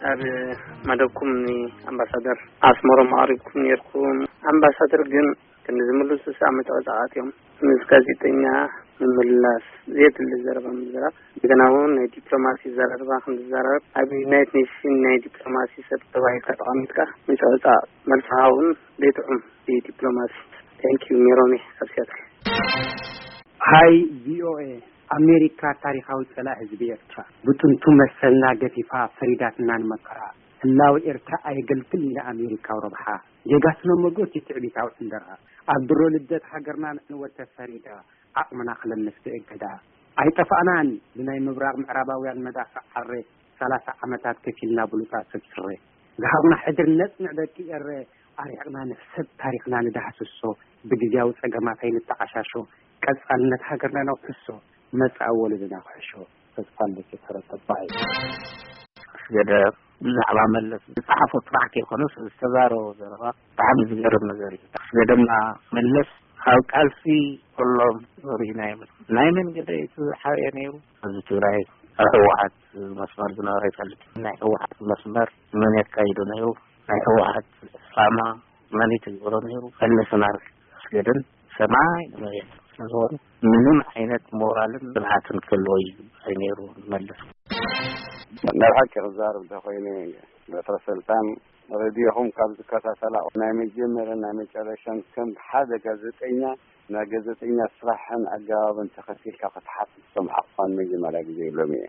ኣብ መደብኩም ኣምባሳደር ኣስመሮም ኣቕሪብኩም ነርኩም። ኣምባሳደር ግን ክንዲ ዝምልሱ ሳዕ መተወጻዓት እዮም። ምስ ጋዜጠኛ ምምላስ ዘየድሊ ዘረባ ምዝራብ፣ እንደገና እውን ናይ ዲፕሎማሲ ዘረባ ክንዛረብ ኣብ ዩናይትድ ኔሽን ናይ ዲፕሎማሲ ሰብ ተባሂልካ ተቐሚጥካ ምጽዕጻቕ መልስኻ እውን ዘይጥዑም እዩ። ዲፕሎማሲ ታንኪዩ ሜሮሜ ካብ ሲያትል። ሃይ ቪኦኤ፣ ኣሜሪካ ታሪኻዊ ጸላእ ህዝቢ ኤርትራ ብጥንቱ መሰልና ገፊፋ ፈሪዳትና ንመከራ። ህላዊ ኤርትራ ኣየገልግል ኢላ ኣሜሪካዊ ረብሓ ጌጋ ስነ መጎት እዩ ትዕቢታዊ ዕንደራ። ኣብ ድሮ ልደት ሃገርና ንዕንወት ተፈሪዳ ዓቕምና ክለምስ ብእገዳ። ኣይጠፋእናን ብናይ ምብራቕ ምዕራባውያን መዳፍዕ ዓረ ሰላሳ ዓመታት ከፊልና ብሉጻት ሰብ ስረ ዝሃብና ሕድሪ ነጽንዕ ደቂ ኤረ ኣሪሕቕና ንሕሰብ ታሪኽና ንዳህስሶ ብግዜያዊ ጸገማት ኣይንተዓሻሾ ቀጻልነት ሃገርና ነውሕሶ መጻኢ ወለድና ክሕሾ ተስፋ ኣለኪ ተረተባይ ገደ ብዛዕባ መለስ ዝጸሓፎ ጥራሕ ከይኮነስ ዝተዛረቦ ዘረባ ብጣዕሚ ዝገርም ነገር እዩ። ኣስገደምና መለስ ካብ ቃልሲ ኩሎም ርኢና ይብል ናይ መን ገደ እቲ ዝሓበየ ነይሩ ኣብዚ ትግራይ ኣብ ህወሓት መስመር ዝነበረ ይፈልጥ ናይ ህወሓት መስመር መን የካይዶ ነይሩ ናይ ህወሓት ዕላማ መን ይትግብሮ ነይሩ መለስ ናርክ ኣስገደን ሰማይ ንመሬት ስለዝኾኑ ምንም ዓይነት ሞራልን ብልሃትን ክህልዎ ይግባእ ነይሩ ንመለስ። ናይ ሓቂ ክዛረብ እንተኮይነ በትረ ሰልጣን ሬድዮኹም ካብ ዝከታተላ ናይ መጀመርያን ናይ መጨረሻን ከም ሓደ ጋዜጠኛ ናይ ጋዜጠኛ ስራሕን ኣገባብን ተኸቲልካ ክትሓትት ዝሰምዓኹ እኳ ንመጀመርያ ግዜ የብሎም እየ።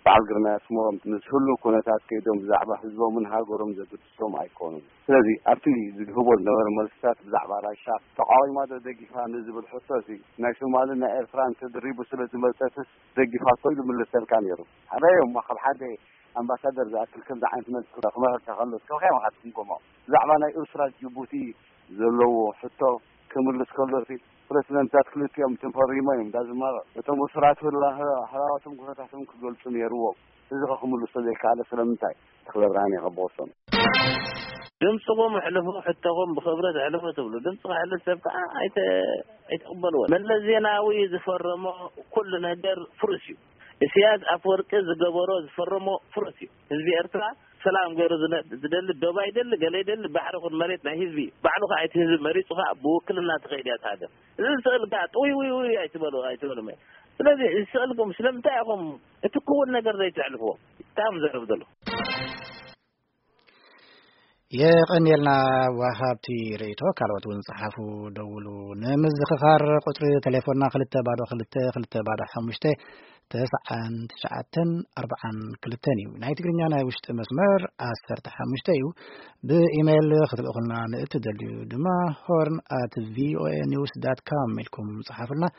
በዓል ግርማይ ኣስመሮም ምስ ህሉው ኩነታት ከይዶም ብዛዕባ ህዝቦምን ሃገሮም ዘገድሶም ኣይኮኑን። ስለዚ ኣብቲ ዝህቦ ዝነበረ መልስታት ብዛዕባ ራሻ ተቃዊማ ዶ ደጊፋ ንዝብል ሕቶ እዚ ናይ ሶማልን ናይ ኤርትራን ተድሪቡ ስለ ዝመጸትስ ደጊፋቶ ኢሉ ምልሰልካ ነይሩ። ሓደዮም ካብ ሓደ ኣምባሳደር ዝኣክል ከምዚ ዓይነት መልሲ ክመረካ ከሎ እስከ ከመይ ኢኻ ትግምግሞ? ብዛዕባ ናይ ኤርትራ ጅቡቲ ዘለዎ ሕቶ ክምልስ ከሎ ሲ ፕረዚደንታት ክልቲኦም ተፈሪሞ እዮም ዳዝማሮ እቶም እሱራት ህላዋቶም ኩነታቶም ክገልጹ ነይርዎም። እዚ ከ ክምልሶ ዘይከኣለ ስለምንታይ? ተኽለ ብርሃን የኸበወሶም። ድምፅኹም ኣሕልፉ ሕቶኹም ብኽብረት ኣሕልፉ ትብሉ ድምፂ ክሕልፍ ሰብ ከዓ ኣይተ ኣይትቕበልዎ መለስ ዜናዊ ዝፈረሞ ኩሉ ነገር ፍሩስ እዩ። ኢሳያስ ኣፈወርቂ ዝገበሮ ዝፈረሞ ፍሩስ እዩ። ህዝቢ ኤርትራ ሰላም ገይሩ ዝነ- ዝደሊ ዶብ ኣይደሊ ገለ ይደሊ ባሕሪ ኩን መሬት ናይ ህዝቢ እዩ። ባዕሉ ከዓ እቲ ህዝቢ መሪፁ ከዓ ብውክልና ትኸይድ እያ እታ ሃገር። እዚ ዝስእል ከዓ ጥውይ ውይ ውይ ኣይትበሉ ኣይትበሉ መ ስለዚ ዝስእልኩም ስለምንታይ ኢኹም እቲ ክውን ነገር ዘይትሕልፍዎ? እንታይ እዮም ዘረብ ዘሎ? የቐንየልና ወሃብቲ ርእይቶ ካልኦት እውን ጸሓፉ ደውሉ። ንምዝኽኻር ቁጽሪ ቴሌፎንና ክልተ ባዶ ክልተ ክልተ ባዶ ሓሙሽተ ተስዓን ትሽዓተን ኣርብዓን ክልተን እዩ። ናይ ትግርኛ ናይ ውሽጢ መስመር ዓሰርተ ሓሙሽተ እዩ። ብኢሜይል ክትልእኹልና ንእትደልዩ ድማ ሆርን ኣት ቪኦኤ ኒውስ ዳት ካም ኢልኩም ጸሓፉልና።